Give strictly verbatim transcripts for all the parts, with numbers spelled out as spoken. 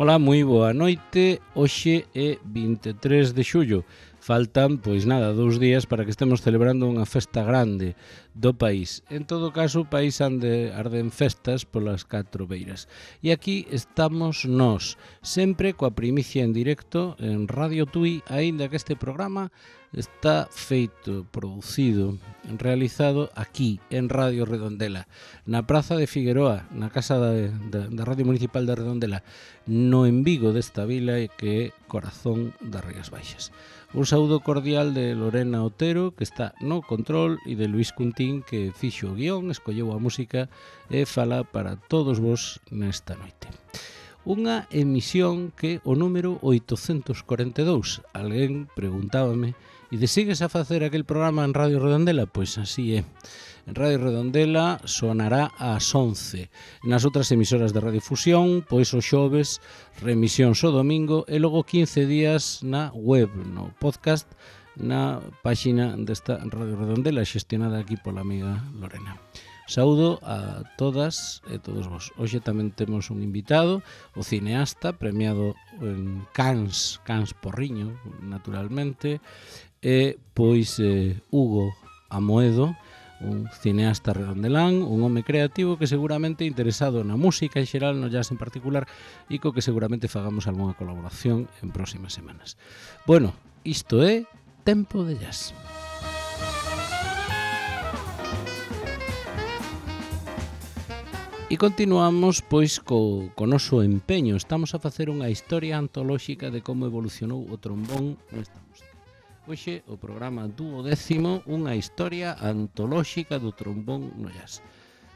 Ola, moi boa noite. Hoxe é vinte e tres de xullo. Faltan, pois nada, dous días para que estemos celebrando unha festa grande do país. En todo caso, o país ande, arden festas polas catro beiras. E aquí estamos nós, sempre coa primicia en directo en Radio Tui, aínda que este programa está feito, producido, realizado aquí, en Radio Redondela, na Praza de Figueroa, na Casa da, da, da Radio Municipal de Redondela, no en Vigo desta vila que é corazón das Rías Baixas. Un saúdo cordial de Lorena Otero, que está no control, e de Luís Cuntín, que fixo o guión, escolleu a música e fala para todos vos nesta noite. Unha emisión que o número oitocentos corenta e dous. Alguén preguntábame, e de sigues a facer aquel programa en Radio Redondela? Pois así é. En Radio Redondela sonará ás once. Nas outras emisoras de radiodifusión, pois o xoves, remisión o domingo e logo quince días na web, no podcast, na páxina desta Radio Redondela xestionada aquí pola amiga Lorena. Saúdo a todas e todos vos. Hoxe tamén temos un invitado, o cineasta premiado en Cans, Cans Porriño, naturalmente, e pois eh, Hugo Amoedo, un cineasta redondelán, un home creativo que seguramente interesado na música en xeral, no jazz en particular, e co que seguramente fagamos algunha colaboración en próximas semanas. Bueno, isto é Tempo de Jazz. E continuamos pois co, co noso empeño. Estamos a facer unha historia antolóxica de como evolucionou o trombón nesta música. Hoxe o programa duodécimo, unha historia antolóxica do trombón no jazz.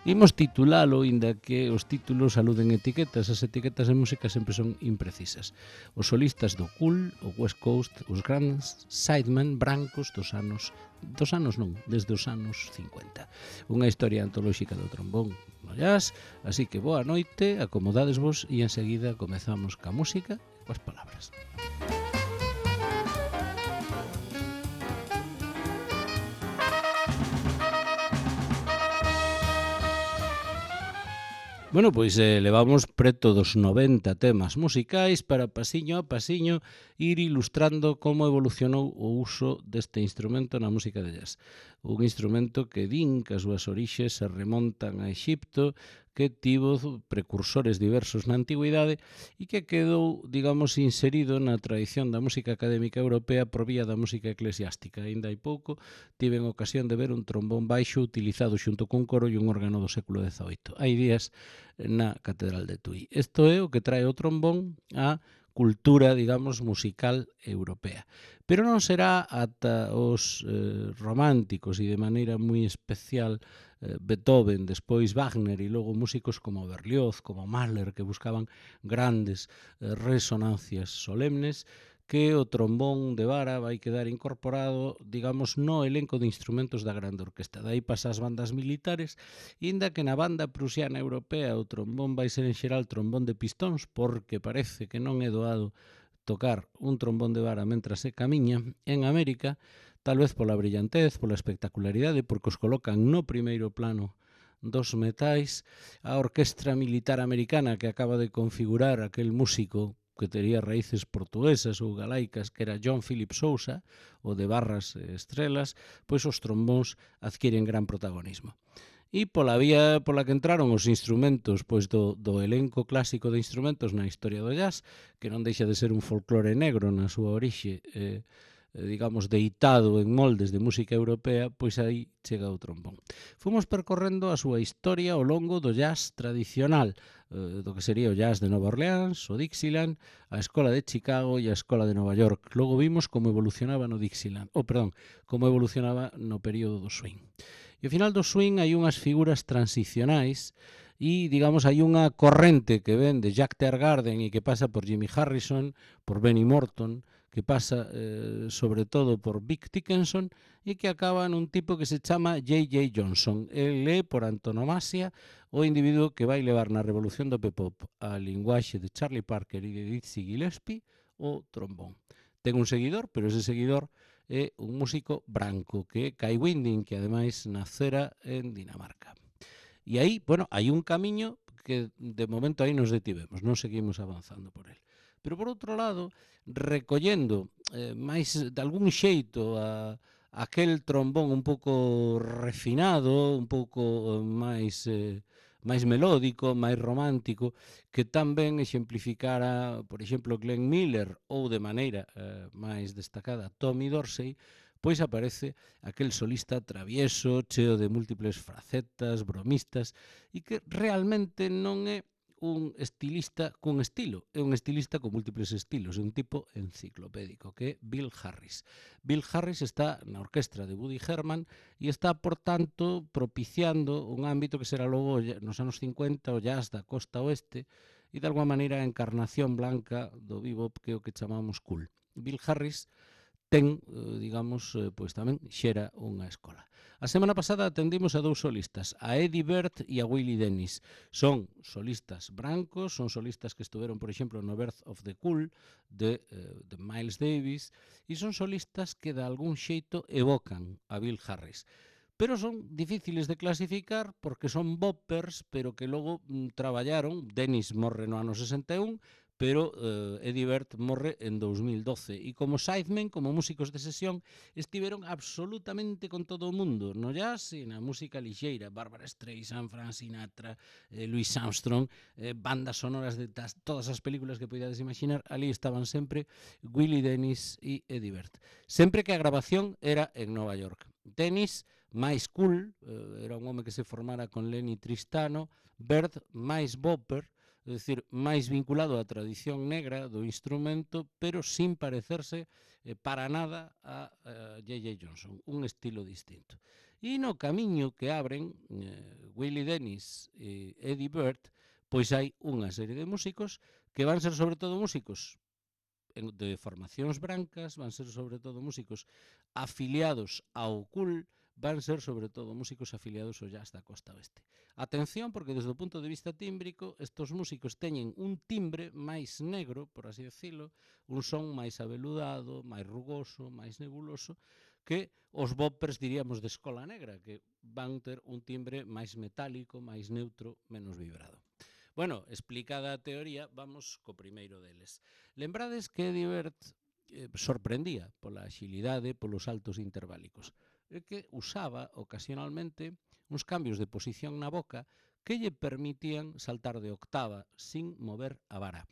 Imos titulalo, inda que os títulos aluden etiquetas, as etiquetas de música sempre son imprecisas. Os solistas do Cool, o West Coast, os grandes sidemen brancos dos anos, dos anos non, desde os anos cincuenta. Unha historia antolóxica do trombón no jazz, así que boa noite, acomodadesvos e enseguida comezamos ca música e coas palabras. Bueno, pois eh, levamos preto dos noventa temas musicais para pasiño a pasiño ir ilustrando como evolucionou o uso deste instrumento na música de jazz. Un instrumento que din que as súas orixes se remontan a Exipto, que tivo precursores diversos na antigüidade e que quedou, digamos, inserido na tradición da música académica europea por vía da música eclesiástica. Ainda hai pouco tiven ocasión de ver un trombón baixo utilizado xunto cun coro e un órgano do século dezaoito. Hai días na Catedral de Tui. Isto é o que trae o trombón a cultura, digamos, musical europea. Pero non será ata os eh, románticos e de maneira moi especial eh, Beethoven, despois Wagner e logo músicos como Berlioz, como Mahler, que buscaban grandes eh, resonancias solemnes, que o trombón de vara vai quedar incorporado, digamos, no elenco de instrumentos da grande orquesta. Dai pasa as bandas militares, inda que na banda prusiana europea o trombón vai ser en xeral trombón de pistóns, porque parece que non é doado tocar un trombón de vara mentras se camiña. En América, tal vez pola brillantez, pola espectacularidade, porque os colocan no primeiro plano dos metais, a orquestra militar americana que acaba de configurar aquel músico que tería raíces portuguesas ou galaicas, que era John Philip Sousa, o de Barras e Estrelas, pois os trombóns adquiren gran protagonismo. E pola vía pola que entraron os instrumentos pois do, do elenco clásico de instrumentos na historia do jazz, que non deixa de ser un folclore negro na súa orixe, eh, digamos, deitado en moldes de música europea, pois aí chega o trombón. Fomos percorrendo a súa historia ao longo do jazz tradicional, eh, do que sería o jazz de Nova Orleans, o Dixieland, a Escola de Chicago e a Escola de Nova York. Logo vimos como evolucionaba no Dixieland, ou, oh, perdón, como evolucionaba no período do swing. E ao final do swing hai unhas figuras transicionais e, digamos, hai unha corrente que ven de Jack Teargarden e que pasa por Jimmy Harrison, por Benny Morton, que pasa eh, sobre todo por Vic Dickinson e que acaba nun tipo que se chama J J Johnson. El é, por antonomasia, o individuo que vai levar na revolución do P-pop a linguaxe de Charlie Parker e de Dizzy Gillespie o trombón. Ten un seguidor, pero ese seguidor é un músico branco, que é Kai Winding, que ademais nacera en Dinamarca. E aí, bueno, hai un camiño que de momento aí nos detivemos, non seguimos avanzando por el. Pero por outro lado, recollendo eh, máis de algún xeito a aquel trombón un pouco refinado, un pouco máis eh, máis melódico, máis romántico, que tan ben exemplificara, por exemplo, Glenn Miller ou de maneira eh, máis destacada Tommy Dorsey, pois aparece aquel solista travieso, cheo de múltiples facetas, bromistas, e que realmente non é un estilista cun estilo, é un estilista con múltiples estilos, é un tipo enciclopédico, que é Bill Harris. Bill Harris está na orquestra de Woody Herman e está, por tanto, propiciando un ámbito que será logo nos anos cincuenta o jazz da costa oeste e, de alguma maneira, a encarnación blanca do bebop, que é o que chamamos cool. Bill Harris ten, digamos, pois tamén xera unha escola. A semana pasada atendimos a dous solistas, a Eddie Bird e a Willie Dennis. Son solistas brancos, son solistas que estuveron, por exemplo, no Birth of the Cool de, de Miles Davis, e son solistas que de algún xeito evocan a Bill Harris. Pero son difíciles de clasificar porque son boppers, pero que logo mm, traballaron. Dennis morre no ano sesenta e un, pero eh, Eddie Bird morre en dous mil doce. E como sidemen, como músicos de sesión, estiveron absolutamente con todo o mundo, no jazz e na música lixeira. Barbara Streisand, Frank Sinatra, eh, Louis Armstrong, eh, bandas sonoras de tas, todas as películas que podades imaginar, ali estaban sempre Willie Dennis e Eddie Bird. Sempre que a grabación era en Nova York. Dennis, máis cool, eh, era un home que se formara con Lenny Tristano. Bird, máis bopper, é dicir, máis vinculado á tradición negra do instrumento, pero sin parecerse eh, para nada a, a J J Johnson, un estilo distinto. E no camiño que abren eh, Willie Dennis e Eddie Bird, pois hai unha serie de músicos que van ser sobre todo músicos de formacións brancas, van ser sobre todo músicos afiliados ao cool, van ser sobre todo músicos afiliados ao jazz da costa oeste. Atención, porque desde o punto de vista tímbrico, estos músicos teñen un timbre máis negro, por así decirlo, un son máis abeludado, máis rugoso, máis nebuloso, que os boppers, diríamos, de escola negra, que van ter un timbre máis metálico, máis neutro, menos vibrado. Bueno, explicada a teoría, vamos co primeiro deles. Lembrades que Eddie Bird eh, sorprendía pola axilidade, polos saltos interválicos, e que usaba ocasionalmente uns cambios de posición na boca que lle permitían saltar de octava sin mover a vara.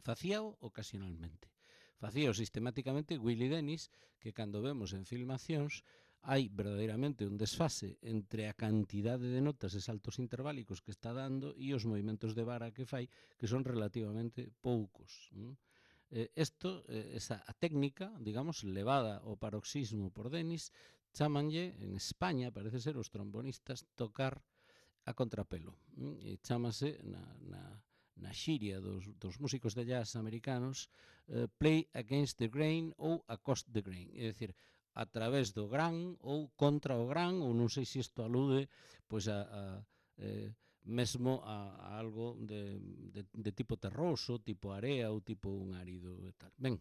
Facíao ocasionalmente. Facíao sistemáticamente Willie Dennis, que cando vemos en filmacións hai verdadeiramente un desfase entre a cantidade de notas e saltos interválicos que está dando e os movimentos de vara que fai, que son relativamente poucos. Isto, eh, esa a técnica, digamos, levada ao paroxismo por Dennis, chamanlle, en España, parece ser, os trombonistas tocar a contrapelo. E chámase na, na, na xiria dos, dos músicos de jazz americanos uh, play against the grain ou across the grain, é dicir, a través do gran ou contra o gran, ou non sei se isto alude pois a, a eh, mesmo a, a algo de, de, de tipo terroso, tipo area ou tipo un árido e tal. Ben,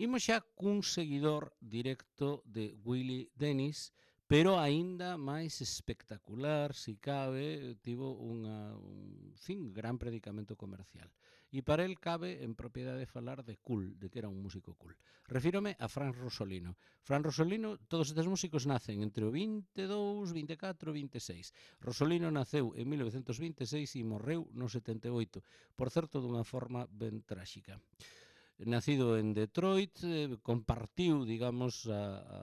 imos xa cun seguidor directo de Willie Dennis, pero aínda máis espectacular, si cabe, tivo unha, un fin, gran predicamento comercial. E para el cabe en propiedade falar de cool, de que era un músico cool. Refírome a Frank Rosolino. Frank Rosolino, todos estes músicos nacen entre o vinte e dous, vinte e catro e vinte e seis. Rosolino naceu en mil novecentos vinte e seis e morreu no setenta e oito, por certo, dunha forma ben tráxica. Nacido en Detroit, eh, compartiu, digamos, a, a,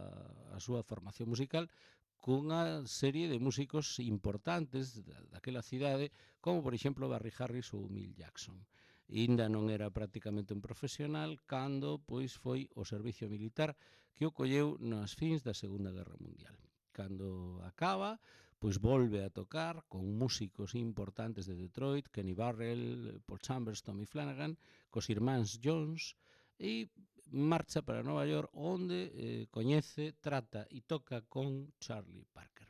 a súa formación musical cunha serie de músicos importantes daquela cidade, como, por exemplo, Barry Harris ou Milt Jackson. Inda non era prácticamente un profesional cando pois foi o servicio militar que o colleu nas fins da Segunda Guerra Mundial. Cando acaba, pois volve a tocar con músicos importantes de Detroit, Kenny Burrell, Paul Chambers, Tommy Flanagan, cos irmáns Jones, e marcha para Nova York, onde eh, coñece, trata e toca con Charlie Parker.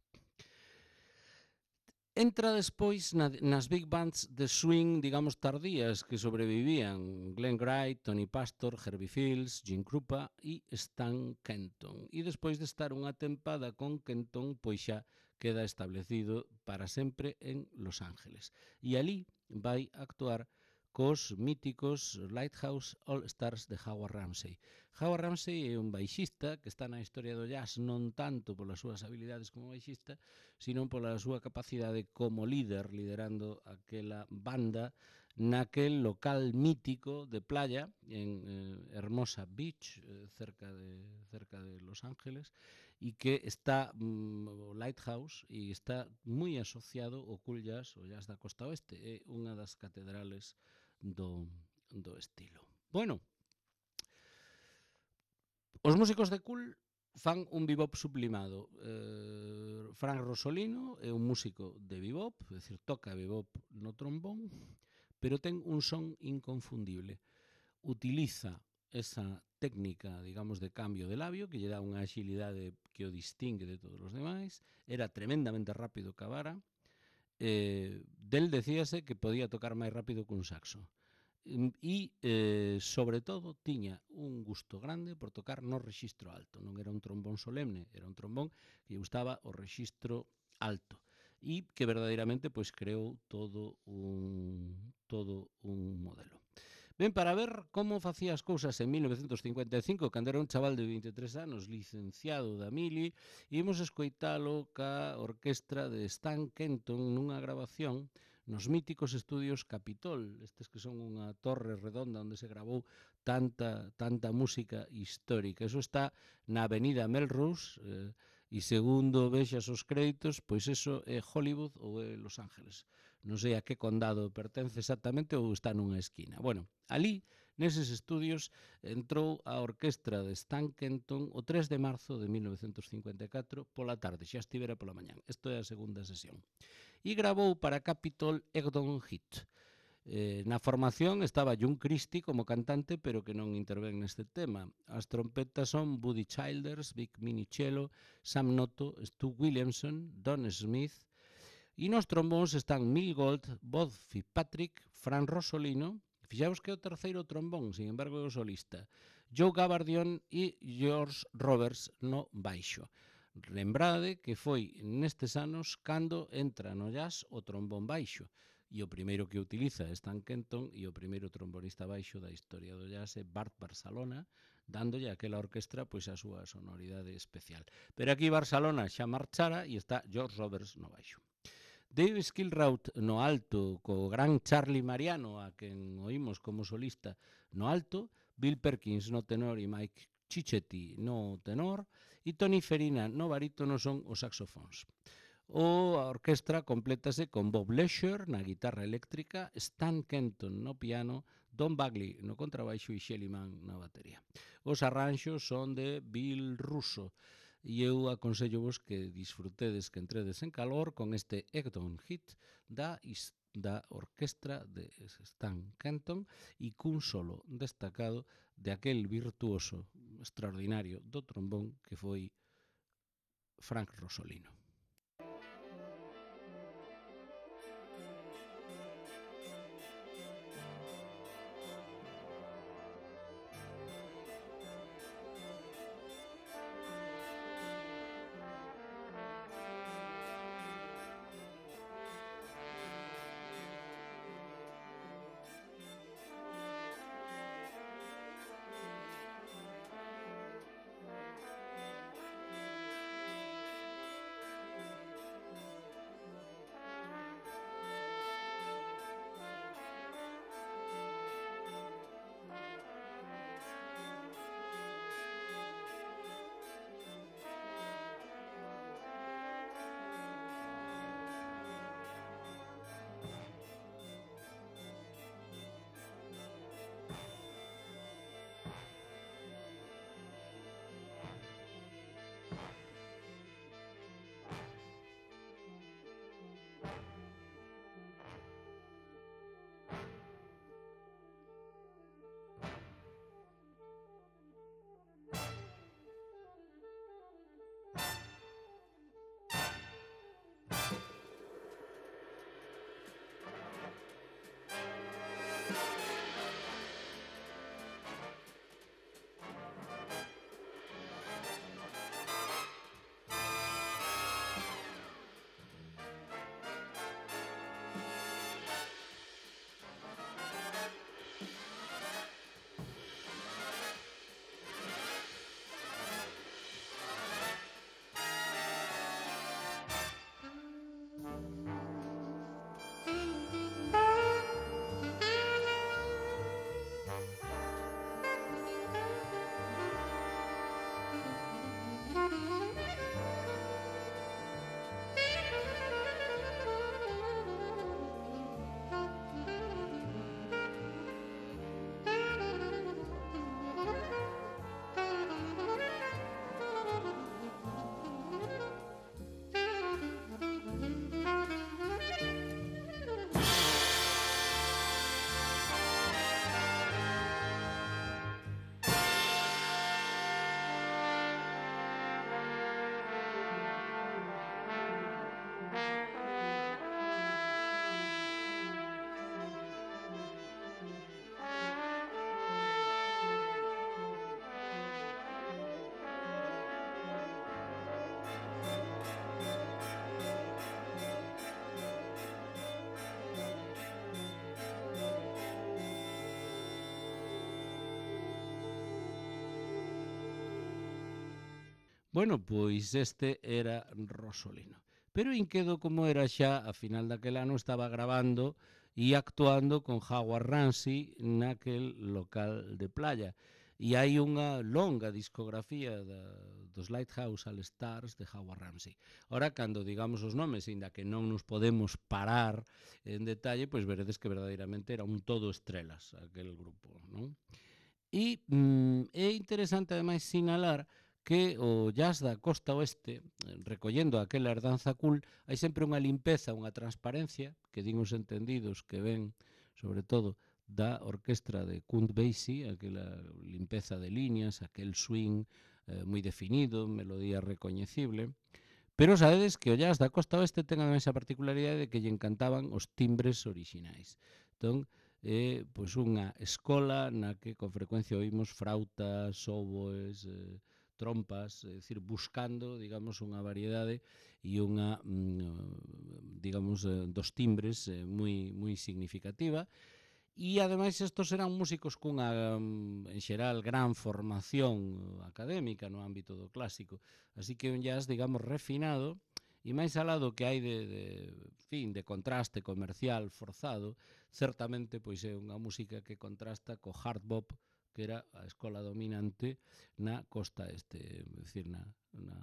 Entra despois na, nas big bands de swing, digamos, tardías que sobrevivían Glenn Gray, Tony Pastor, Herbie Fields, Jim Krupa e Stan Kenton. E despois de estar unha tempada con Kenton, pois xa queda establecido para sempre en Los Ángeles. E ali vai actuar cos míticos Lighthouse All Stars de Howard Ramsey. Howard Ramsey é un baixista que está na historia do jazz non tanto polas súas habilidades como baixista, sino pola súa capacidade como líder, liderando aquela banda naquel local mítico de playa en eh, Hermosa Beach, eh, cerca de cerca de Los Ángeles, e que está mm, o Lighthouse e está moi asociado ao cool jazz, o jazz da costa oeste, é unha das catedrales do, do estilo. Bueno, os músicos de cool fan un bebop sublimado. Eh, Frank Rosolino é un músico de bebop, é dicir, toca bebop no trombón, pero ten un son inconfundible. Utiliza esa técnica, digamos, de cambio de labio que lle dá unha axilidade que o distingue de todos os demais. Era tremendamente rápido ca vara. Eh, del decíase que podía tocar máis rápido que un saxo. E, eh, sobre todo, tiña un gusto grande por tocar no rexistro alto. Non era un trombón solemne, era un trombón que lle gustaba o rexistro alto e que verdadeiramente pois creou todo un todo un modelo. Ben, para ver como facía as cousas en mil novecentos cincuenta e cinco, cando era un chaval de vinte e tres anos, licenciado da Mili, imos escoitalo ca orquestra de Stan Kenton nunha grabación nos míticos estudios Capitol, estes que son unha torre redonda onde se grabou tanta tanta música histórica. Eso está na avenida Melrose, eh, e segundo vexas os créditos, pois eso é Hollywood ou é Los Ángeles. Non sei a que condado pertence exactamente ou está nunha esquina. Bueno, ali, neses estudios, entrou a orquestra de Stan Kenton o tres de marzo de mil novecentos cincuenta e catro pola tarde, xa estivera pola mañán. Isto é a segunda sesión. E grabou para Capitol Egdon Hit. Eh, na formación estaba John Christie como cantante, pero que non intervén neste tema. As trompetas son Buddy Childers, Vic Minicello, Sam Noto, Stu Williamson, Don Smith, e nos trombóns están Mil Gold, Bob Fitzpatrick, Fran Rosolino, fixaos que é o terceiro trombón, sin embargo é o solista, Joe Gabardion e George Roberts no baixo. Lembrade que foi nestes anos cando entra no jazz o trombón baixo, e o primeiro que utiliza é Stan Kenton, e o primeiro trombonista baixo da historia do jazz é Bart Barcelona, dándolle aquela orquestra pois a súa sonoridade especial. Pero aquí Barcelona xa marchara e está George Roberts no baixo. Dave Skilraut no alto, co gran Charlie Mariano, a quen oímos como solista no alto, Bill Perkins no tenor e Mike Cicchetti no tenor, e Tony Ferina no barítono son os saxofóns. O a orquestra complétase con Bob Lesher na guitarra eléctrica, Stan Kenton no piano, Don Bagley no contrabaixo e Shelly Manne na batería. Os arranxos son de Bill Russo e eu aconsello vos que disfrutedes, que entredes en calor con este Egdon Hit da da orquestra de Stan Kenton e cun solo destacado de aquel virtuoso extraordinario do trombón que foi Frank Rosolino. Bueno, pois este era Rosolino. Pero Inquedo, como era xa, a final daquel ano estaba grabando e actuando con Howard Ramsey naquel local de playa. E hai unha longa discografía da, dos Lighthouse All Stars de Howard Ramsey. Ora, cando digamos os nomes, inda que non nos podemos parar en detalle, pois veredes que verdadeiramente era un todo estrelas aquel grupo, non? E mm, é interesante ademais sinalar que o jazz da costa oeste, recollendo aquela herdanza cool, hai sempre unha limpeza, unha transparencia, que din os entendidos que ven, sobre todo, da orquestra de Count Basie, aquela limpeza de líneas, aquel swing eh, moi definido, melodía recoñecible. Pero sabedes que o jazz da costa oeste ten ademais a particularidade de que lle encantaban os timbres orixinais. Entón, é pois unha escola na que con frecuencia oímos frautas, oboes, eh, trompas, é dicir, buscando, digamos, unha variedade e unha, mm, digamos, eh, dos timbres eh, moi moi significativa. E ademais estos eran músicos cunha, mm, en xeral, gran formación académica no ámbito do clásico. Así que un jazz, digamos, refinado, e máis alá do que hai de, de, fin, de contraste comercial forzado, certamente pois é unha música que contrasta co hard bop, que era a escola dominante na costa este, é dicir, na, na,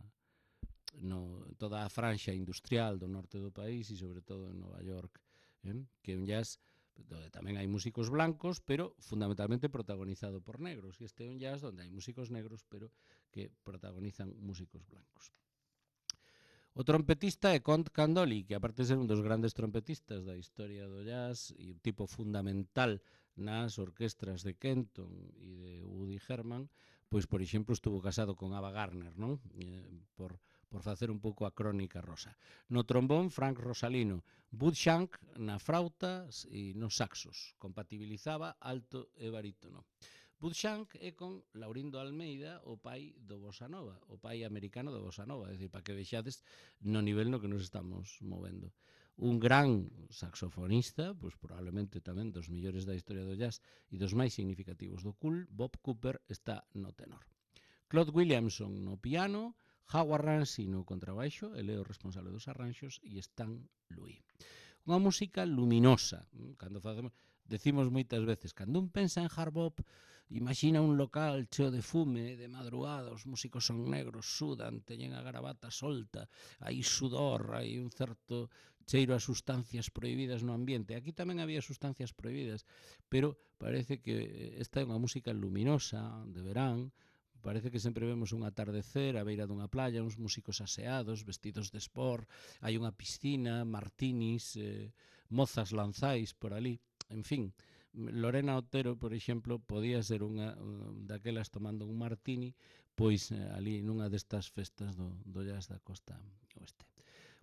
no, toda a franxa industrial do norte do país e sobre todo en Nova York, eh? Que é un jazz donde tamén hai músicos blancos, pero fundamentalmente protagonizado por negros. E este é un jazz onde hai músicos negros, pero que protagonizan músicos blancos. O trompetista é Count Candoli, que aparte de ser un dos grandes trompetistas da historia do jazz e un tipo fundamental nas orquestras de Kenton e de Woody Herman, pois, por exemplo, estuvo casado con Ava Gardner, non? Eh, por, por facer un pouco a crónica rosa. No trombón, Frank Rosalino. Bud Shank na frauta e nos saxos. Compatibilizaba alto e barítono. Bud Shank é con Laurindo Almeida, o pai do Bossa Nova, o pai americano do Bossa Nova, é dicir, para que vexades no nivel no que nos estamos movendo. Un gran saxofonista, pois probablemente tamén dos millores da historia do jazz e dos máis significativos do cool, Bob Cooper está no tenor. Claude Williamson no piano, Howard Ramsey no contrabaixo, ele é o responsable dos arranxos, e Stan Louis. Unha música luminosa, cando facemos, decimos moitas veces, cando un pensa en hard bop, imagina un local cheo de fume, de madrugada, os músicos son negros, sudan, teñen a gravata solta, hai sudor, hai un certo cheiro a sustancias prohibidas no ambiente. Aquí tamén había sustancias prohibidas, pero parece que esta é unha música luminosa, de verán, parece que sempre vemos un atardecer a beira dunha playa, uns músicos aseados, vestidos de sport, hai unha piscina, martinis, eh, mozas lanzais por ali, en fin. Lorena Otero, por exemplo, podía ser unha daquelas tomando un martini, pois ali nunha destas festas do, do jazz da costa oeste.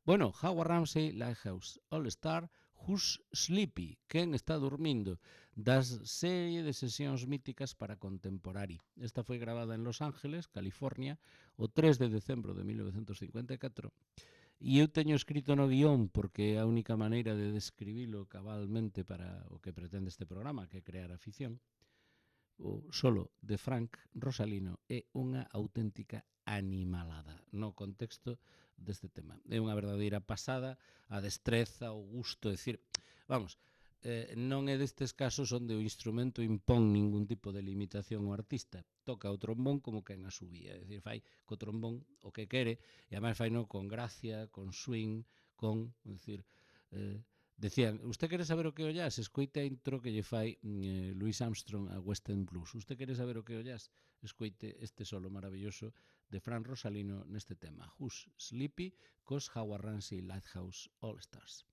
Bueno, Howard Ramsey, Lighthouse All Star, Who's Sleepy? Quen está dormindo? Das serie de sesións míticas para contemporari. Esta foi gravada en Los Ángeles, California, o tres de decembro de mil novecientos cincuenta e catro. E eu teño escrito no guión, porque é a única maneira de describilo cabalmente para o que pretende este programa, que é crear afición. O solo de Frank Rosalino é unha auténtica animalada no contexto deste tema. É unha verdadeira pasada, a destreza, o gusto, é dicir, vamos, eh, non é destes casos onde o instrumento impón ningún tipo de limitación ao artista. Toca o trombón como quen a subía, é dicir, fai co trombón o que quere, e ademais fai no con gracia, con swing, con, é dicir, eh, decían, usted quere saber o que é o jazz? Escoite a intro que lle fai eh, Louis Armstrong a Western Blues. Usted quere saber o que é o jazz? Escoite este solo maravilloso de Frank Rosalino neste tema, Who's Sleepy, cos Howard Ramsey Lighthouse All Stars.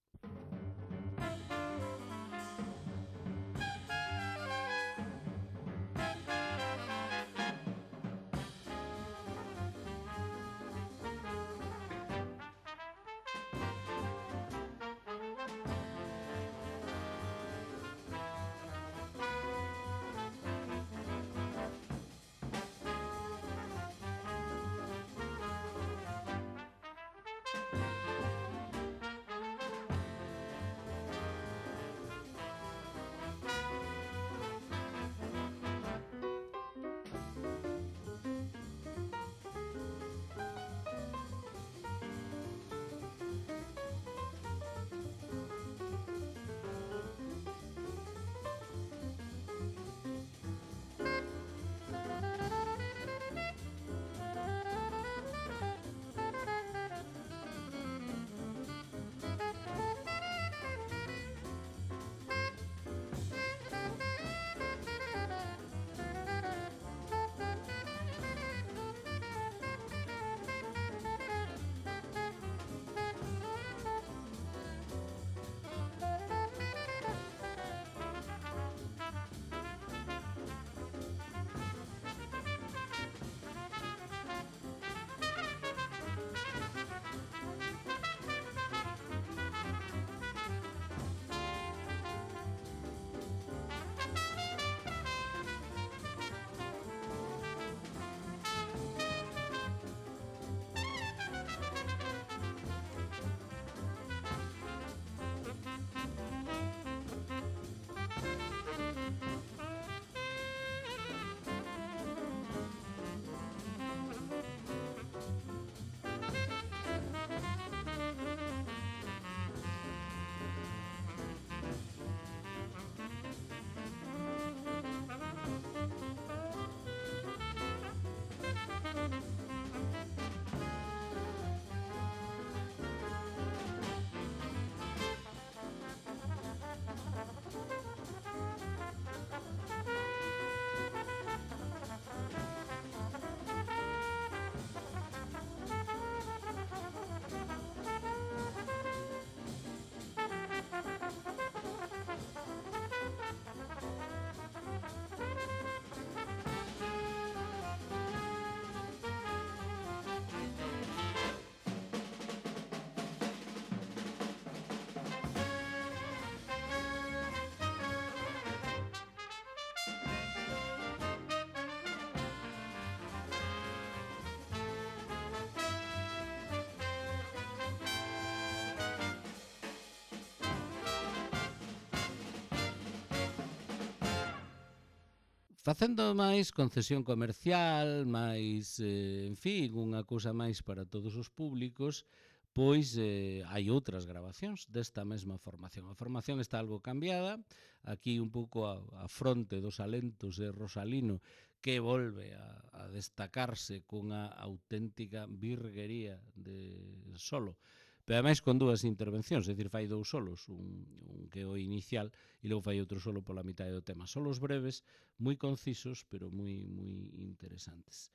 Facendo máis concesión comercial, máis, eh, en fin, unha cousa máis para todos os públicos, pois eh, hai outras grabacións desta mesma formación. A formación está algo cambiada, aquí un pouco a, a fronte dos alentos de Rosalino, que volve a, a destacarse cunha auténtica virguería de solo, pero ademais con dúas intervencións, é dicir, fai dous solos, un, un que é o inicial e logo fai outro solo pola mitad do tema. Solos breves, moi concisos, pero moi moi interesantes.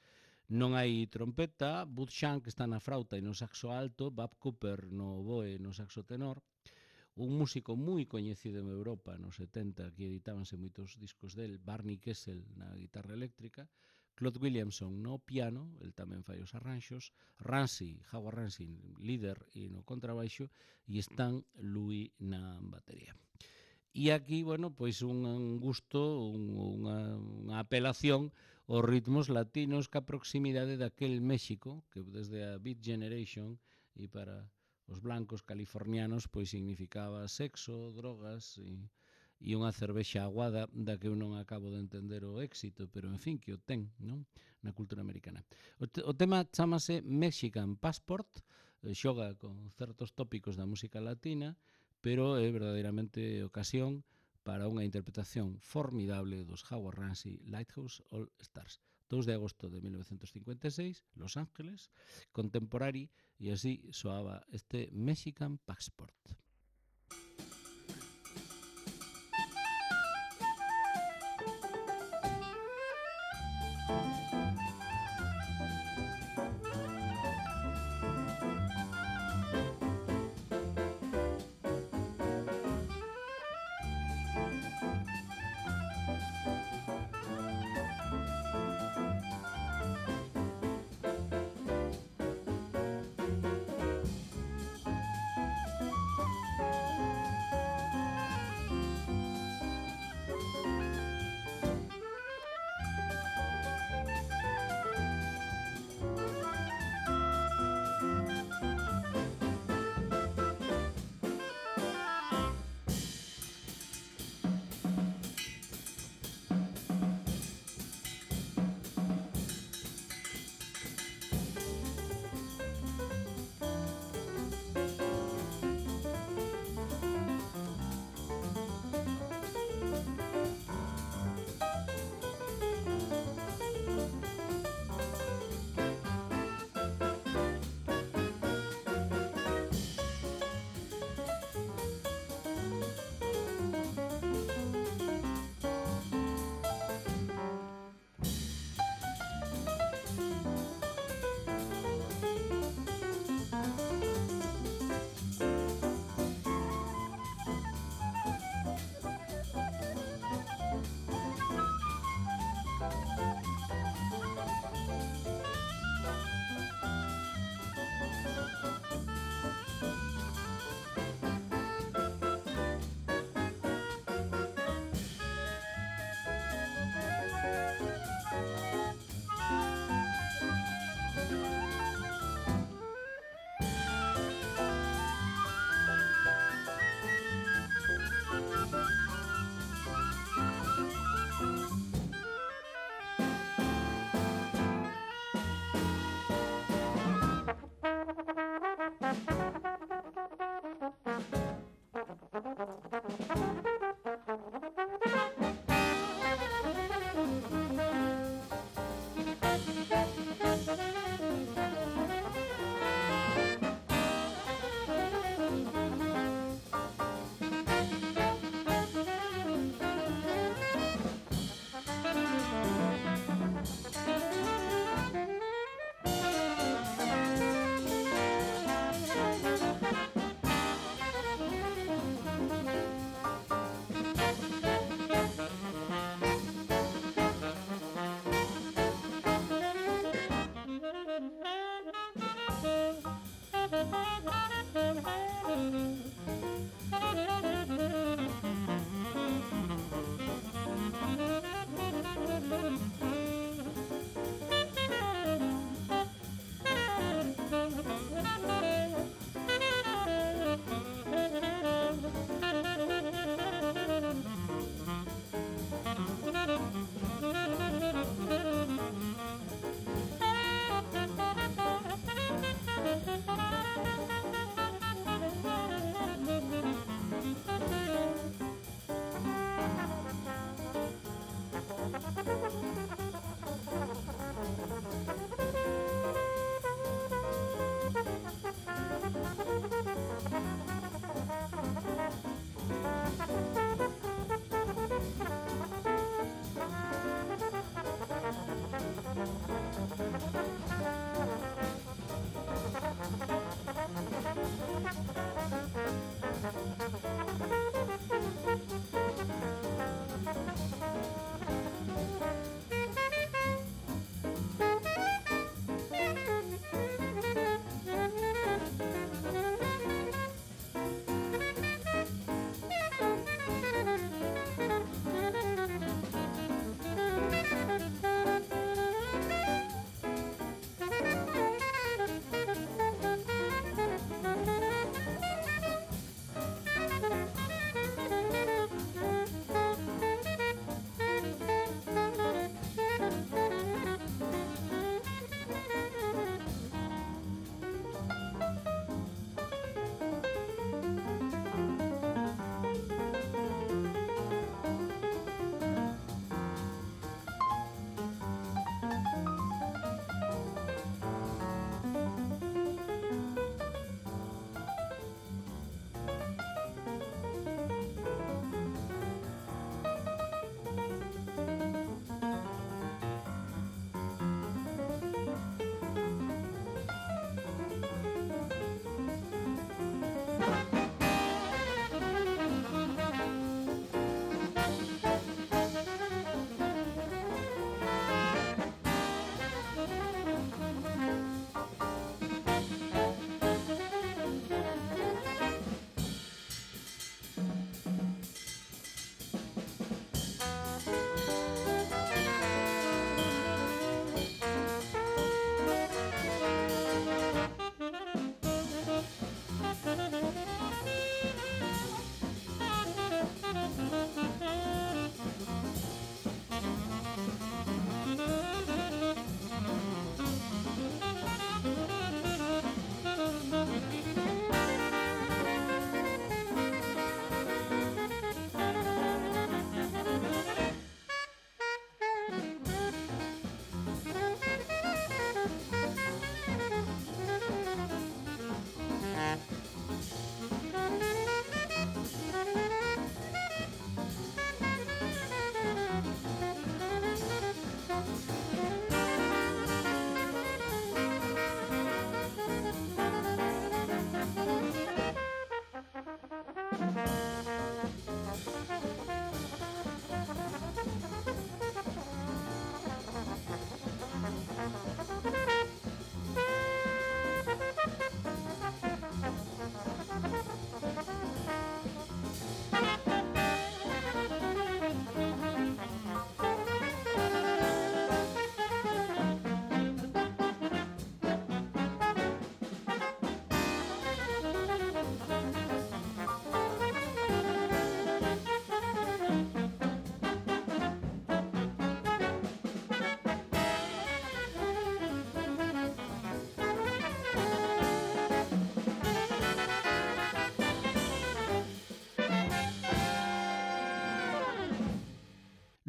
Non hai trompeta, Bud Shank está na frauta e no saxo alto, Bob Cooper no oboe e no saxo tenor, un músico moi coñecido en Europa nos setenta, que editábanse moitos discos del, Barney Kessel na guitarra eléctrica, Claude Williamson no piano, el tamén fai os arranxos, Ramsey, Howard Ramsey, líder e no contrabaixo, e Stan Louis na batería. E aquí, bueno, pois un gusto, un, unha, unha apelación aos ritmos latinos ca proximidade daquel México, que desde a Beat Generation e para os blancos californianos pois significaba sexo, drogas e, e unha cervexa aguada da que eu non acabo de entender o éxito, pero en fin, que o ten, non? Na cultura americana. O, te, o tema chamase Mexican Passport, xoga con certos tópicos da música latina, pero é verdadeiramente ocasión para unha interpretación formidable dos Howard Ramsey Lighthouse All Stars. dous de agosto de mil novecentos cincuenta e seis, Los Ángeles, contemporary, e así soaba este Mexican Passport.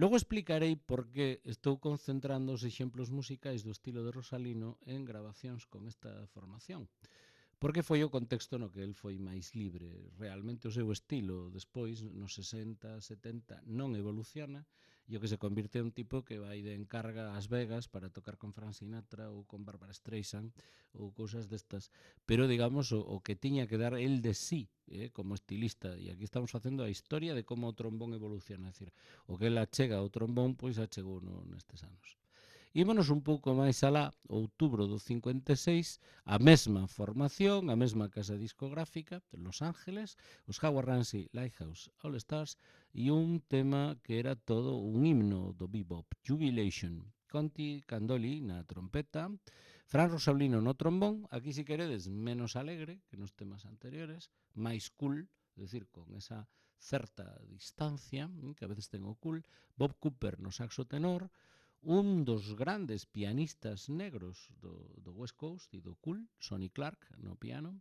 Logo explicarei por que estou concentrando os exemplos musicais do estilo de Rosalino en grabacións con esta formación. Porque foi o contexto no que el foi máis libre. Realmente o seu estilo despois, nos sesenta, setenta, non evoluciona e o que se convirte en un tipo que vai de encarga ás Vegas para tocar con Frank Sinatra ou con Barbara Streisand ou cousas destas. Pero, digamos, o, o que tiña que dar el de sí eh, como estilista. E aquí estamos facendo a historia de como o trombón evoluciona. É dicir, o que el achega ao trombón, pois achegou no, nestes anos. Ímonos un pouco máis alá, outubro do cincuenta e seis, a mesma formación, a mesma casa discográfica, Los Ángeles, os Howard Ramsey Lighthouse All Stars, e un tema que era todo un himno do bebop, Jubilation. Conti Candoli na trompeta, Fran Rosaulino no trombón, aquí si queredes menos alegre que nos temas anteriores, máis cool, é dicir, con esa certa distancia, que a veces ten o cool, Bob Cooper no saxo tenor, un dos grandes pianistas negros do, do West Coast e do cool, Sonny Clark no piano,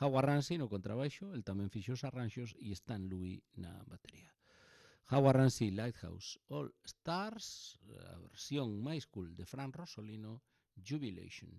Howard Ramsey no contrabaixo, el tamén fixo os arranxos, e Stan Louis na batería. Howard Ramsey Lighthouse All Stars, a versión máis cool de Fran Rosolino, Jubilation.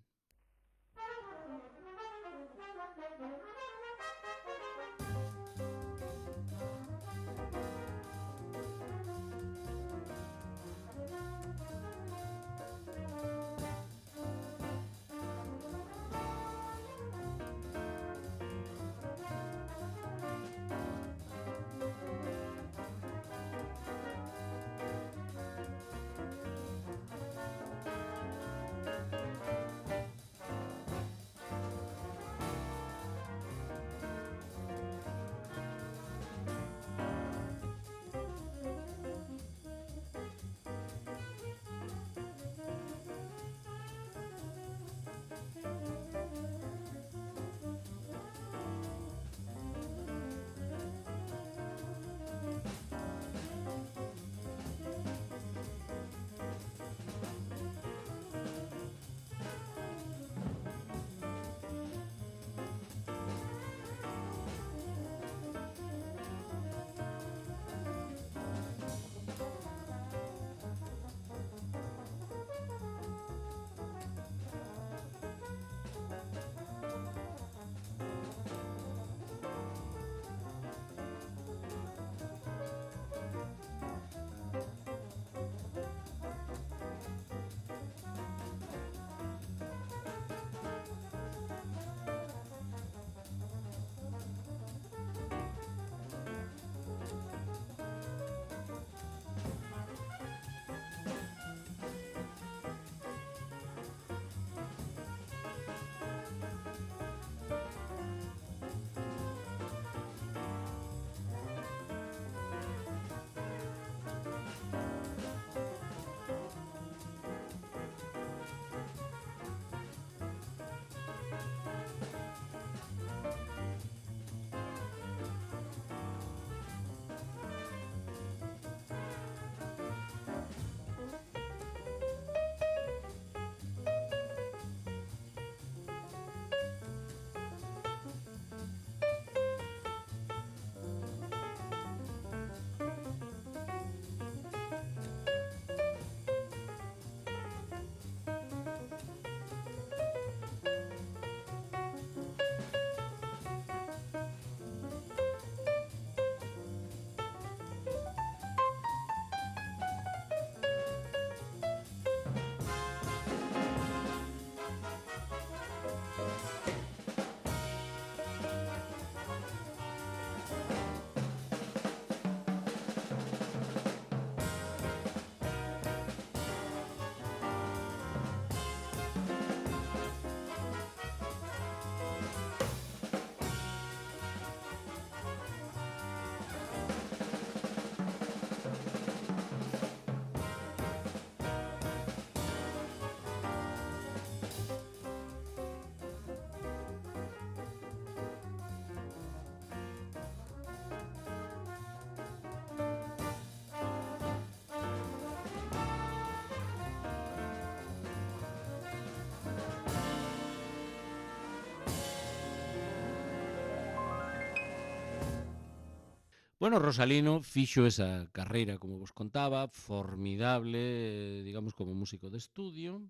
Bueno, Rosalino fixo esa carreira, como vos contaba, formidable, digamos, como músico de estudio,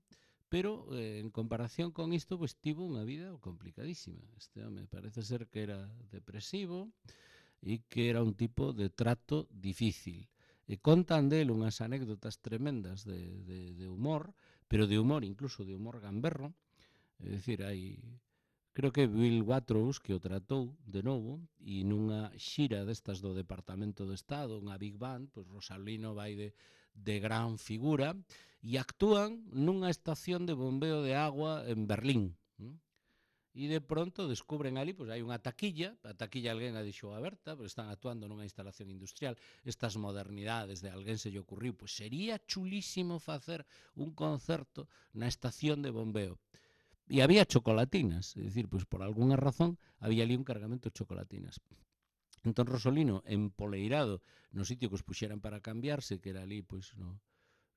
pero eh, en comparación con isto, pues tivo unha vida complicadísima. Este home parece ser que era depresivo e que era un tipo de trato difícil. E contan del unhas anécdotas tremendas de, de, de humor, pero de humor, incluso de humor gamberro. É dicir, hai creo que Bill Watrous que o tratou de novo e nunha xira destas do Departamento do Estado, unha Big Band, pois Rosalino vai de, de gran figura e actúan nunha estación de bombeo de agua en Berlín. E de pronto descubren ali, pois hai unha taquilla, a taquilla alguén a deixou aberta, pois están actuando nunha instalación industrial, estas modernidades de alguén se lle ocurriu, pois sería chulísimo facer un concerto na estación de bombeo. E había chocolatinas, é dicir, pois por algunha razón había ali un cargamento de chocolatinas. Entón Rosolino, empoleirado no sitio que os puxeran para cambiarse, que era ali pois no,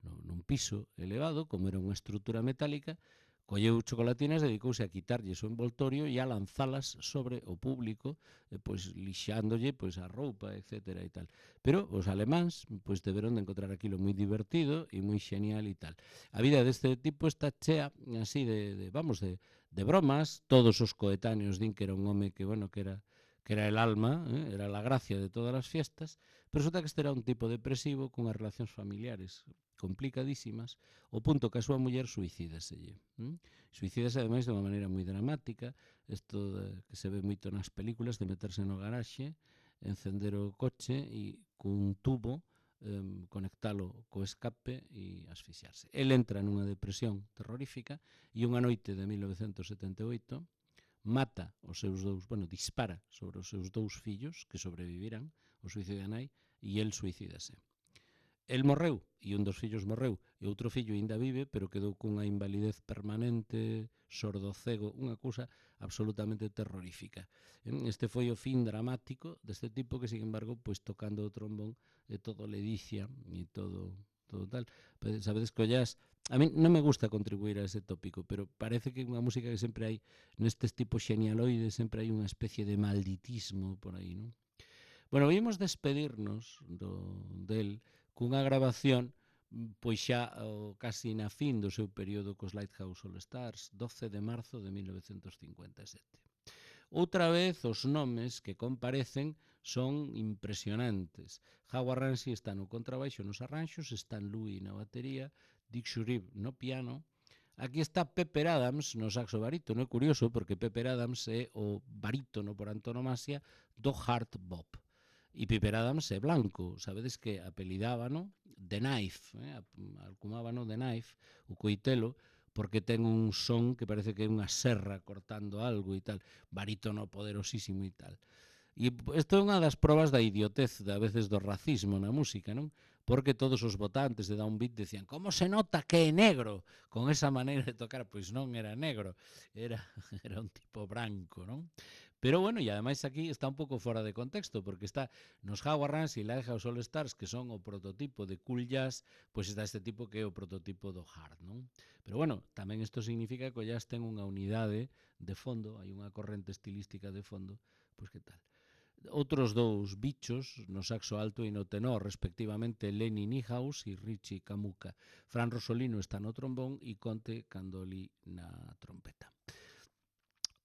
no, nun piso elevado, como era unha estrutura metálica, colleu chocolatinas, dedicouse a quitarlles o envoltorio e a lanzalas sobre o público, eh, pois lixándolle pois a roupa, etcétera e tal. Pero os alemáns pois deberon de encontrar aquilo moi divertido e moi xenial e tal. A vida deste tipo está chea así de, de vamos, de, de bromas, todos os coetáneos din que era un home que, bueno, que era que era el alma, eh, era la gracia de todas as fiestas, pero resulta que este era un tipo depresivo cunhas relacións familiares complicadísimas, o punto que a súa muller suicídaselle. ¿Mm? Suicídase ademais de unha maneira moi dramática, isto de, que se ve moito nas películas, de meterse no garaxe, encender o coche e cun tubo eh, conectalo co escape e asfixiarse. El entra nunha depresión terrorífica e unha noite de mil novecentos setenta e oito mata os seus dous, bueno, dispara sobre os seus dous fillos que sobreviviran ao suicidio da nai e el suicídase. El morreu e un dos fillos morreu e outro fillo ainda vive, pero quedou cunha invalidez permanente, sordo-cego, unha cousa absolutamente terrorífica. Este foi o fin dramático deste tipo que, sin embargo, pois tocando o trombón e todo ledicia e todo todo tal. Sabedes que o jazz, a mí non me gusta contribuir a ese tópico, pero parece que unha música que sempre hai nestes tipos xenialoides, sempre hai unha especie de malditismo por aí, non? Bueno, vimos despedirnos do, del cunha grabación pois xa o, casi na fin do seu período cos Lighthouse All Stars, doce de marzo de mil novecentos cincuenta e sete. Outra vez, os nomes que comparecen son impresionantes. Howard Ramsey está no contrabaixo nos arranxos, Stan Louis na batería, Dick Shurib no piano. Aquí está Pepper Adams no saxo barítono. É curioso porque Pepper Adams é o barítono por antonomasia do hard bop. E Pepper Adams é blanco, sabedes que apelidábano The Knife, eh? alcumábano The Knife, o coitelo, porque ten un son que parece que é unha serra cortando algo e tal, barítono poderosísimo e tal. E isto é unha das probas da idiotez, a veces do racismo na música, non? Porque todos os votantes de Downbeat decían como se nota que é negro con esa maneira de tocar, pois non era negro, era, era un tipo branco, non? Pero bueno, e ademais aquí está un pouco fora de contexto, porque está nos Howard Ramsey e Lighthouse All Stars, que son o prototipo de cool jazz, pois está este tipo que é o prototipo do hard, non? Pero bueno, tamén isto significa que o jazz ten unha unidade de fondo, hai unha corrente estilística de fondo, pois que tal? Outros dous bichos no saxo alto e no tenor, respectivamente Lenny Niehaus e Richie Kamuka. Fran Rosolino está no trombón e Conte Candoli na trompeta.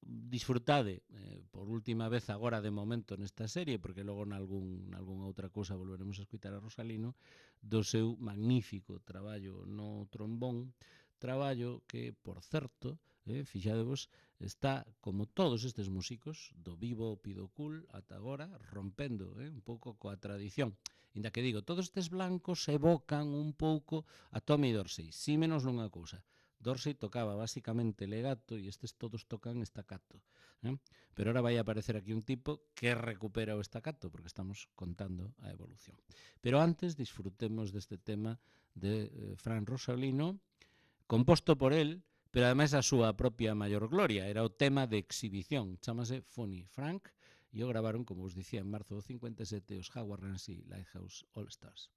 Disfrutade eh, por última vez agora de momento nesta serie, porque logo nalgún, nalgúna outra cousa volveremos a escutar a Rosalino, do seu magnífico traballo no trombón, traballo que, por certo, eh, fixadevos, está, como todos estes músicos, do vivo pido cool ata agora, rompendo eh, un pouco coa tradición. Inda que digo, todos estes blancos evocan un pouco a Tommy Dorsey, si menos nunha cousa. Dorsey tocaba basicamente legato e estes todos tocan estacato. ¿eh? Pero ahora vai a aparecer aquí un tipo que recupera o estacato, porque estamos contando a evolución. Pero antes disfrutemos deste tema de eh, Fran Rosolino, composto por él, pero ademais a súa propia maior gloria. Era o tema de exhibición, chamase Funny Frank, e o gravaron, como os dicía, en marzo do cincuenta e sete os Howard Ramsey Lighthouse All Stars.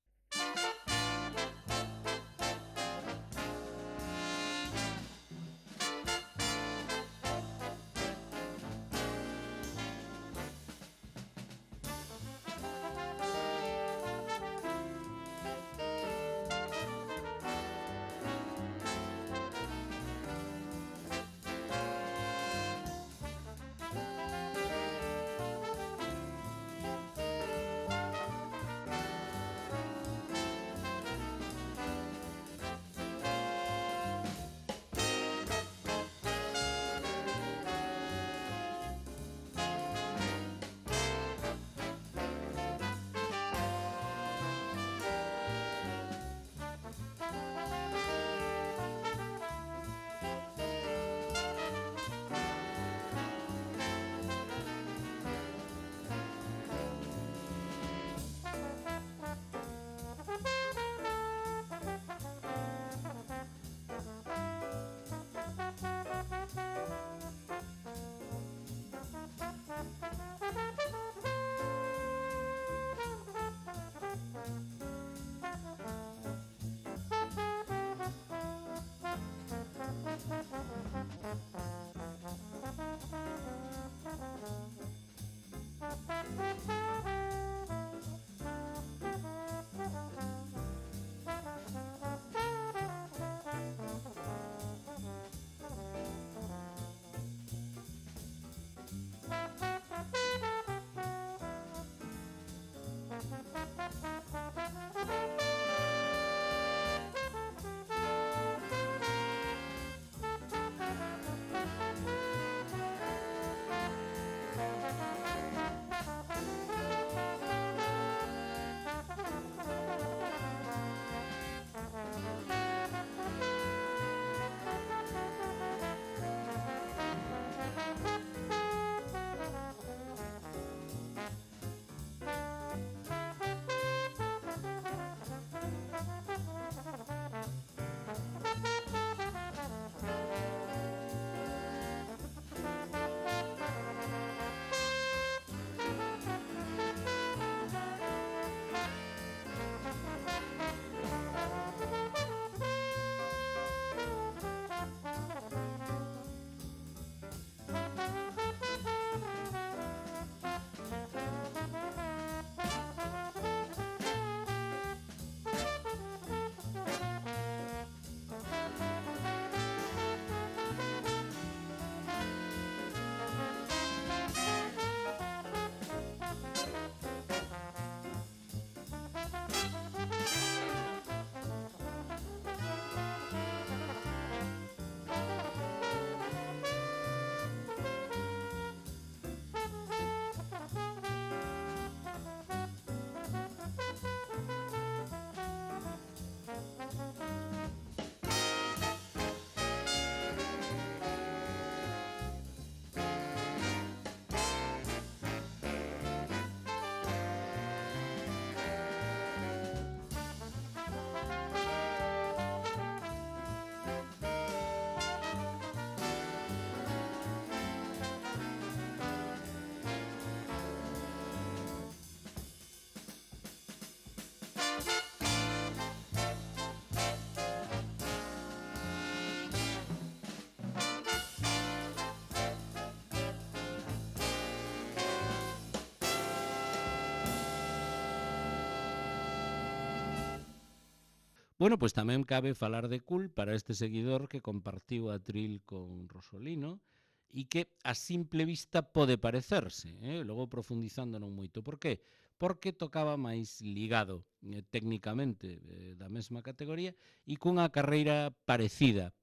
Bueno, pois tamén cabe falar de Cool para este seguidor que compartiu a atril con Rosolino e que a simple vista pode parecerse, eh? Logo profundizando non moito. Por qué? Porque tocaba máis ligado eh, técnicamente eh, da mesma categoría e cunha carreira parecida,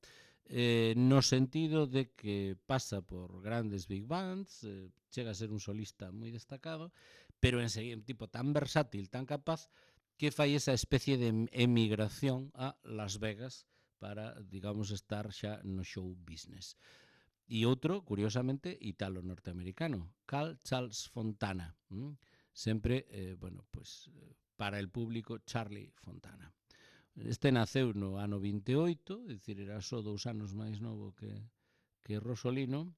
eh, no sentido de que pasa por grandes big bands, eh, chega a ser un solista moi destacado, pero en seguir un tipo tan versátil, tan capaz, que fai esa especie de emigración a Las Vegas para, digamos, estar xa no show business. E outro, curiosamente, italo-norteamericano, Carl Charles Fontana. ¿m? Sempre, eh, bueno, pues, para el público, Charlie Fontana. Este naceu no ano vinte e oito, é dicir, era só dous anos máis novo que, que Rosolino,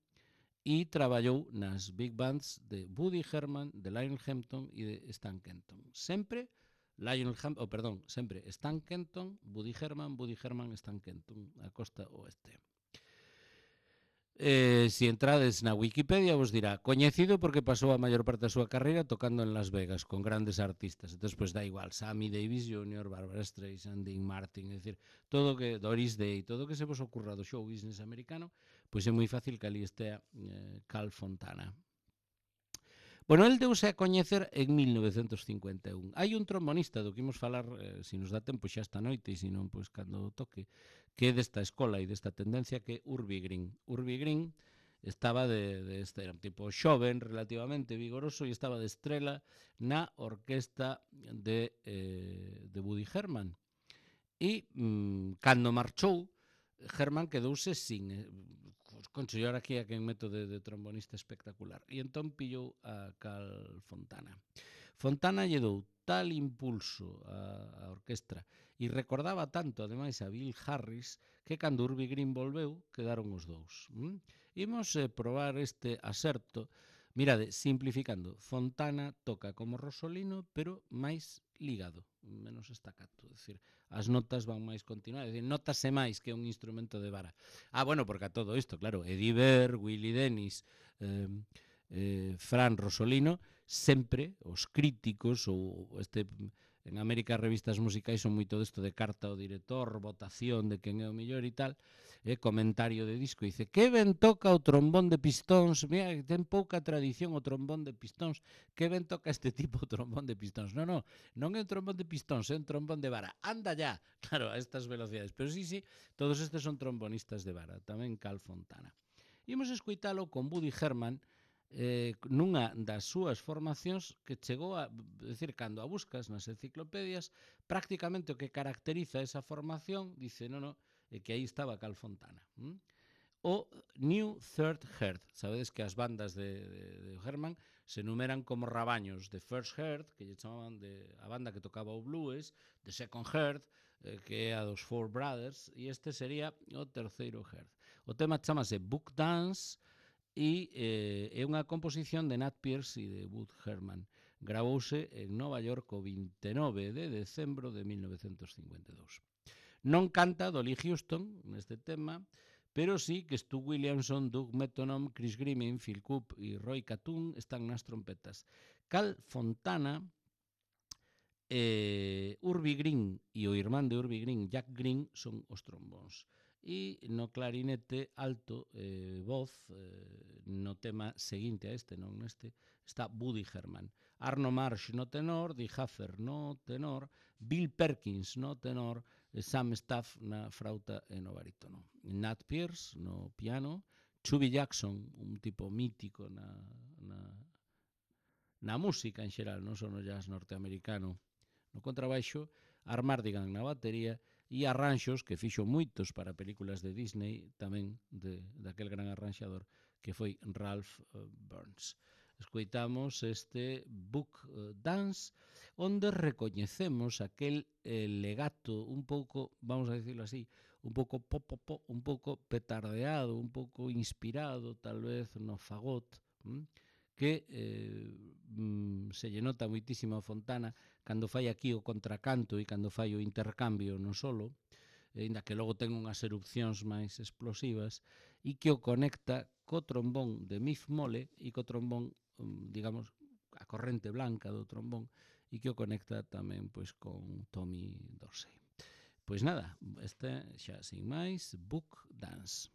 e traballou nas big bands de Woody Herman, de Lionel Hampton e de Stan Kenton. Sempre Lionel Hampton, oh, perdón, sempre Stan Kenton, Woody Herman, Woody Herman, Stan Kenton, a costa oeste. Eh, si entrades na Wikipedia vos dirá coñecido porque pasou a maior parte da súa carreira tocando en Las Vegas con grandes artistas. Entón, pues, da igual, Sammy Davis júnior, Barbara Streisand, Dean Martin, é dicir, todo que Doris Day, todo que se vos ocurra do show business americano, pois é moi fácil que ali estea eh, Carl Fontana. Bueno, el deuse a coñecer en mil novecentos cincuenta e un. Hai un trombonista do que imos falar, eh, se nos dá tempo xa esta noite, e se non, pois cando toque, que é desta escola e desta tendencia, que é Urbie Green. Urbie Green estaba de, de este, era un tipo xoven, relativamente vigoroso, e estaba de estrela na orquesta de, eh, de Woody Herman. E mm, cando marchou, Herman quedouse sin eh, consellar aquí a quen meto de, de trombonista espectacular. E entón pillou a Carl Fontana. Fontana lle dou tal impulso a, a orquestra e recordaba tanto, ademais, a Bill Harris, que cando Urbie Green volveu, quedaron os dous. ¿Mm? Imos eh, probar este aserto. Mirade, simplificando, Fontana toca como Rosolino, pero máis ligado, menos estacato, é dicir, as notas van máis continuadas, é dicir, notase máis que un instrumento de vara. Ah, bueno, porque a todo isto, claro, Eddie Ver, Willie Dennis, eh, eh, Fran Rosolino, sempre os críticos ou este en América as revistas musicais son moito desto de carta ao director, votación de quen é o mellor e tal, eh, comentario de disco, dice, que ben toca o trombón de pistóns, mira, ten pouca tradición o trombón de pistóns, que ben toca este tipo o trombón de pistóns. Non, non, non é un trombón de pistóns, é un trombón de vara. Anda ya, claro, a estas velocidades. Pero sí, sí, todos estes son trombonistas de vara, tamén Carl Fontana. Imos escoitalo con Woody Herman, eh, nunha das súas formacións que chegou a, decir, cando a buscas nas enciclopedias, prácticamente o que caracteriza esa formación, dice, non, non, é que aí estaba Carl Fontana. ¿m? O New Third Heart. Sabedes que as bandas de, de, de Herman se numeran como rabaños de First Heart, que lle chamaban de a banda que tocaba o blues, de Second Heart, eh, que é a dos Four Brothers, e este sería o terceiro Heart. O tema chamase Book Dance, e eh, é unha composición de Nat Pierce e de Woody Herman. Gravouse en Nova York o vinte e nove de decembro de mil novecentos cincuenta e dous. Non canta Dolly Houston neste tema, pero sí que Stu Williamson, Doug Mettonome, Chris Grimming, Phil Coop e Roy Catoon están nas trompetas. Carl Fontana, eh, Urbie Green e o irmán de Urbie Green, Jack Green, son os trombóns. E no clarinete alto, eh, voz, eh, no tema seguinte a este, non neste, está Woody Herman. Arno Marsh no tenor, Dee Haffer no tenor, Bill Perkins no tenor, Sam Staff na frauta e no barítono. Nat Pierce no piano, Chubby Jackson, un tipo mítico na, na, na música en xeral, non só no jazz norteamericano, no contrabaixo, Armardigan na batería e arranxos que fixo moitos para películas de Disney, tamén de, daquel gran arranxador que foi Ralph uh, Burns. Escoitamos este Book uh, Dance, onde recoñecemos aquel eh, legato un pouco, vamos a decirlo así, un pouco pop, pop, pop, un pouco petardeado, un pouco inspirado, tal vez, no fagot, hm? que eh, mm, se lle nota moitísimo a Fontana cando fai aquí o contracanto e cando fai o intercambio no solo, ainda que logo ten unhas erupcións máis explosivas, e que o conecta co trombón de Miff Mole e co trombón, digamos, a corrente blanca do trombón, e que o conecta tamén pois con Tommy Dorsey. Pois nada, este xa sin máis, Book Dance.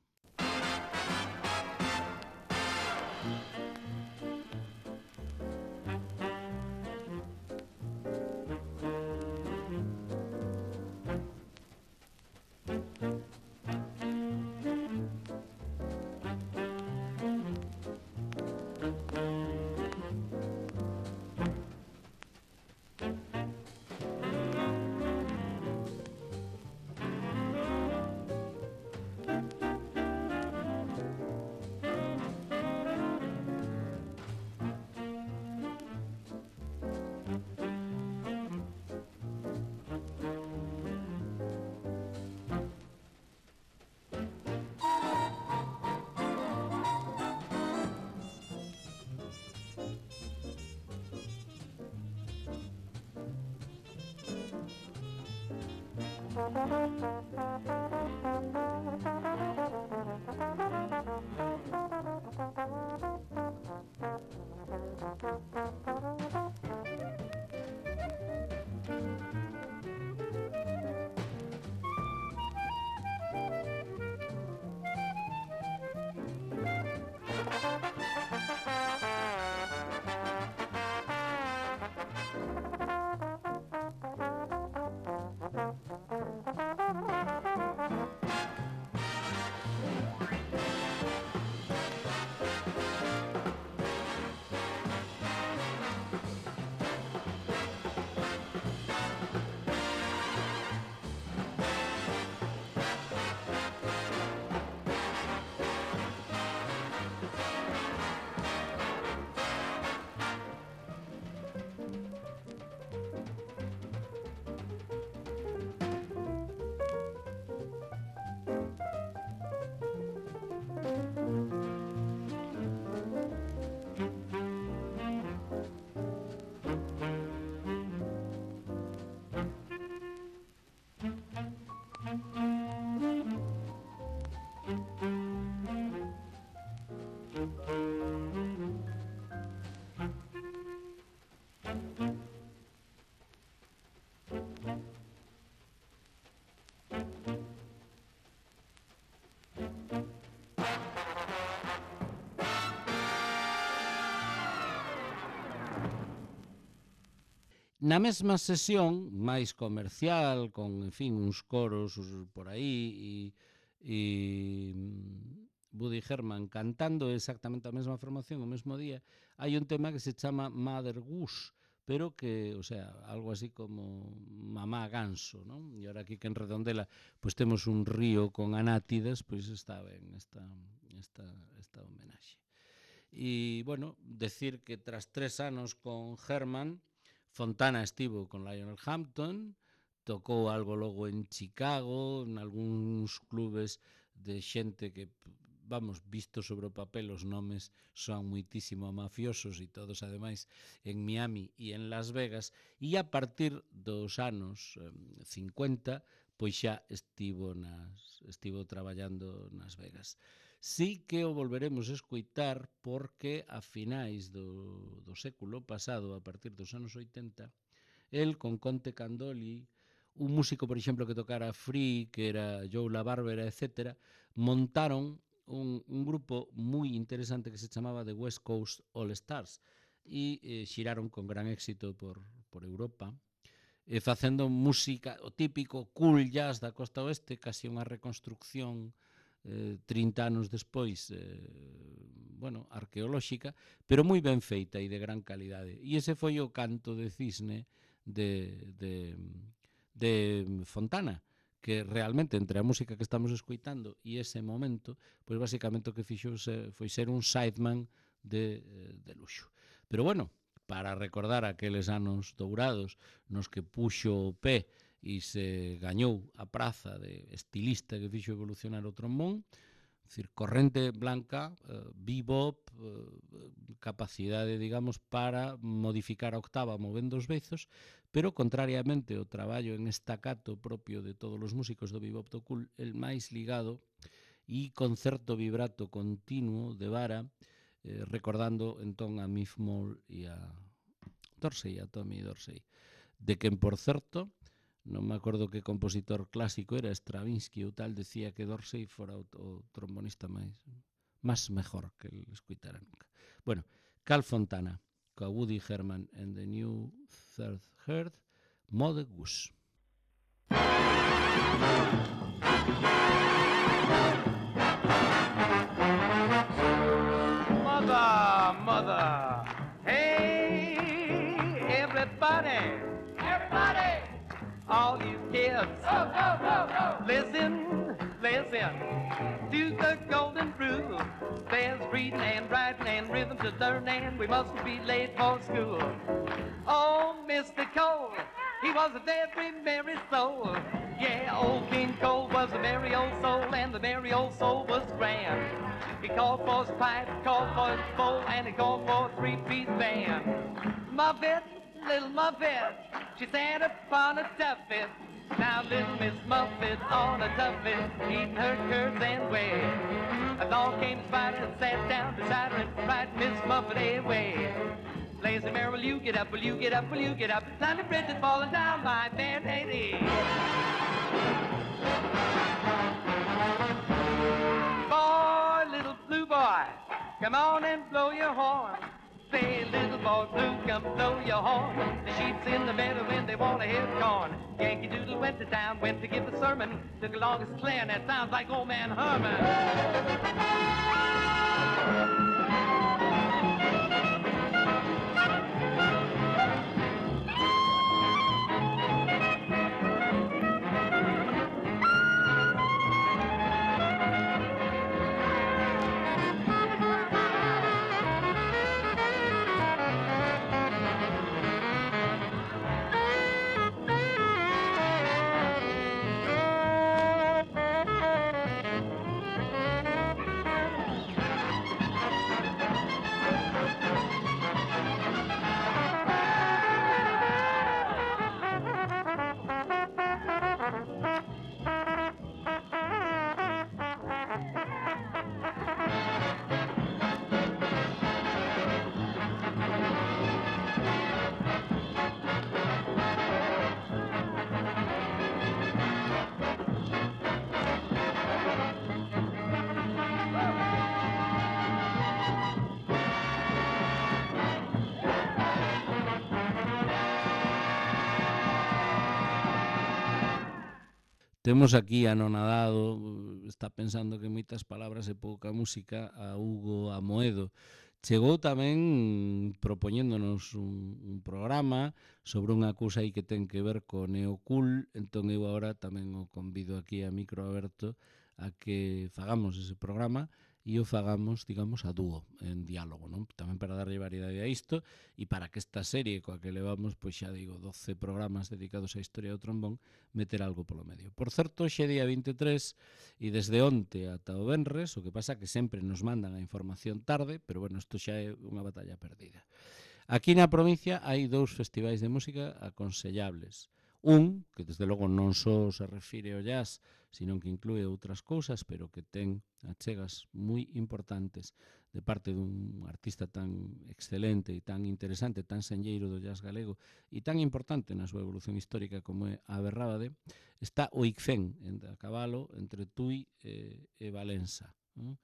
Na mesma sesión, máis comercial, con, en fin, uns coros por aí, e, e Woody Herman cantando exactamente a mesma formación o mesmo día, hai un tema que se chama Mother Goose, pero que, o sea, algo así como mamá ganso, non? E ahora aquí que en Redondela pois temos un río con anátidas, pois está ben esta, esta, esta homenaxe. E, bueno, decir que tras tres anos con Herman, Fontana estivo con Lionel Hampton, tocou algo logo en Chicago, en algúns clubes de xente que, vamos, visto sobre o papel, os nomes son muitísimo mafiosos e todos, ademais, en Miami e en Las Vegas, e a partir dos anos eh, cincuenta, pois xa estivo, nas, estivo traballando nas Vegas. Sí que o volveremos a escoitar porque a finais do, do século pasado, a partir dos anos oitenta, el con Conte Candoli, un músico, por exemplo, que tocara Free, que era Joe La Barbera, etcétera, montaron un, un grupo moi interesante que se chamaba The West Coast All Stars e eh, xiraron con gran éxito por, por Europa, e facendo música, o típico cool jazz da costa oeste, casi unha reconstrucción eh, trinta anos despois, eh, bueno, arqueolóxica, pero moi ben feita e de gran calidade. E ese foi o Canto de Cisne de, de, de Fontana, que realmente entre a música que estamos escoitando e ese momento, pois basicamente o que fixo foi ser un sideman de, de luxo. Pero bueno, para recordar aqueles anos dourados nos que puxo o pé e se gañou a praza de estilista que fixo evolucionar o trombón, decir, corrente blanca, eh, bebop, eh, capacidade, digamos, para modificar a octava movendo os bezos, pero contrariamente ao traballo en estacato propio de todos os músicos do bebop do cool, el máis ligado e concerto vibrato continuo de vara, eh, recordando entón a Miff Mole e a Dorsey, a Tommy Dorsey, de quen, por certo, non me acordo que compositor clásico era, Stravinsky ou tal, decía que Dorsey fora o, o trombonista máis máis mejor que el escuitara nunca. Bueno, Carl Fontana, coa Woody Herman and the New Third Heard, Mother Goose. Mother, mother, hey, everybody, everybody, all you kids, go, go, go, go. Listen, listen to the golden rule. There's reading and writing and rhythm to learn, and we mustn't be late for school. Oh, Mister Cole, he was a very merry soul. Yeah, old King Cole was a merry old soul, and the merry old soul was grand. He called for his pipe, called for his bowl, and he called for a three-piece band. Muffet, little Muffet, she sat upon a tuffet. Now little Miss Muffet on a tuffet, eating her curds and whey. Along came the spider and sat down beside her and cried, Miss Muffet away. Lazy Mary, will you get up, will you get up, will you get up? Tiny bridge is falling down, my fair lady. Boy, little blue boy, come on and blow your horn. Say, little boy blue, come blow your horn. The sheep's in the meadow when they want to hear corn. Yankee Doodle went to town, went to give a sermon. Took along his clear, and that sounds like old man Herman. Temos aquí anonadado, está pensando que moitas palabras e pouca música, a Hugo Amoedo. Chegou tamén propoñéndonos un, un programa sobre unha cousa aí que ten que ver co neocool, entón eu agora tamén o convido aquí a micro aberto a que fagamos ese programa e o fagamos, digamos, a dúo, en diálogo, non? Tamén para darlle variedade a isto e para que esta serie coa que levamos, pois xa digo, doce programas dedicados á historia do trombón, meter algo polo medio. Por certo, xe día vinte e tres e desde onte ata o venres, o que pasa que sempre nos mandan a información tarde, pero bueno, isto xa é unha batalla perdida. Aquí na provincia hai dous festivais de música aconsellables. Un, que desde logo non só se refire ao jazz, sino que inclúe outras cousas, pero que ten achegas moi importantes de parte dun artista tan excelente e tan interesante, tan senlleiro do jazz galego e tan importante na súa evolución histórica como é a Berrábade, está o I C F E N, a cabalo entre Tui e, e Valença. Non?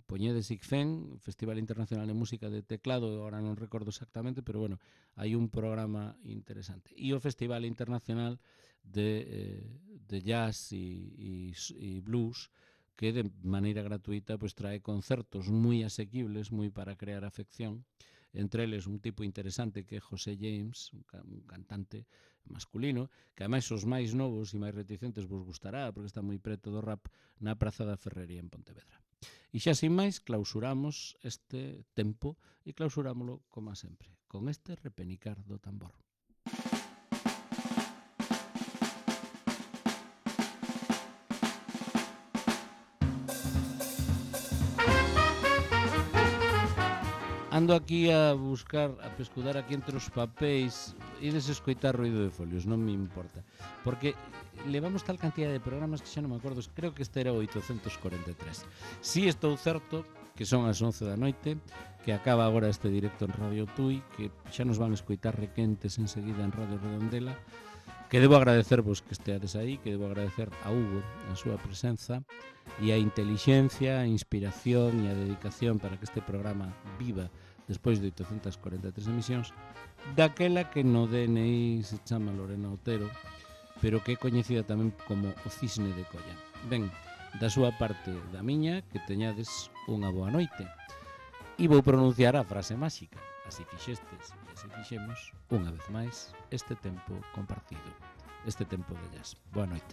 Poñedes I C F E N, Festival Internacional de Música de Teclado, agora non recordo exactamente, pero bueno, hai un programa interesante. E o Festival Internacional de, eh, de Jazz e, e, e Blues, que de maneira gratuita pues, trae concertos moi asequibles, moi para crear afección, entre eles un tipo interesante que é José James, un, ca un cantante masculino, que ademais os máis novos e máis reticentes vos gustará, porque está moi preto do rap, na Praza da Ferrería en Pontevedra. E xa sin máis, clausuramos este tempo e clausurámoslo, como sempre, con este repenicar do tambor. Ando aquí a buscar, a pescudar aquí entre os papéis, ides escoitar ruido de folios, non me importa, porque levamos tal cantidad de programas que xa non me acordo, creo que este era o oitocentos corenta e tres. Si estou certo que son as once da noite, que acaba agora este directo en Radio Tui, que xa nos van escoitar requentes enseguida en Radio Redondela, Que debo agradecervos que esteades aí, que debo agradecer a Hugo a súa presenza e a intelixencia, a inspiración e a dedicación para que este programa viva despois de oitocentas corenta e tres emisións, daquela que no D N I se chama Lorena Otero, pero que é coñecida tamén como o Cisne de Colla. Ben, da súa parte da miña, que teñades unha boa noite. E vou pronunciar a frase máxica. Así fixestes e así fixemos, unha vez máis, este tempo compartido, este tempo de jazz. Boa noite.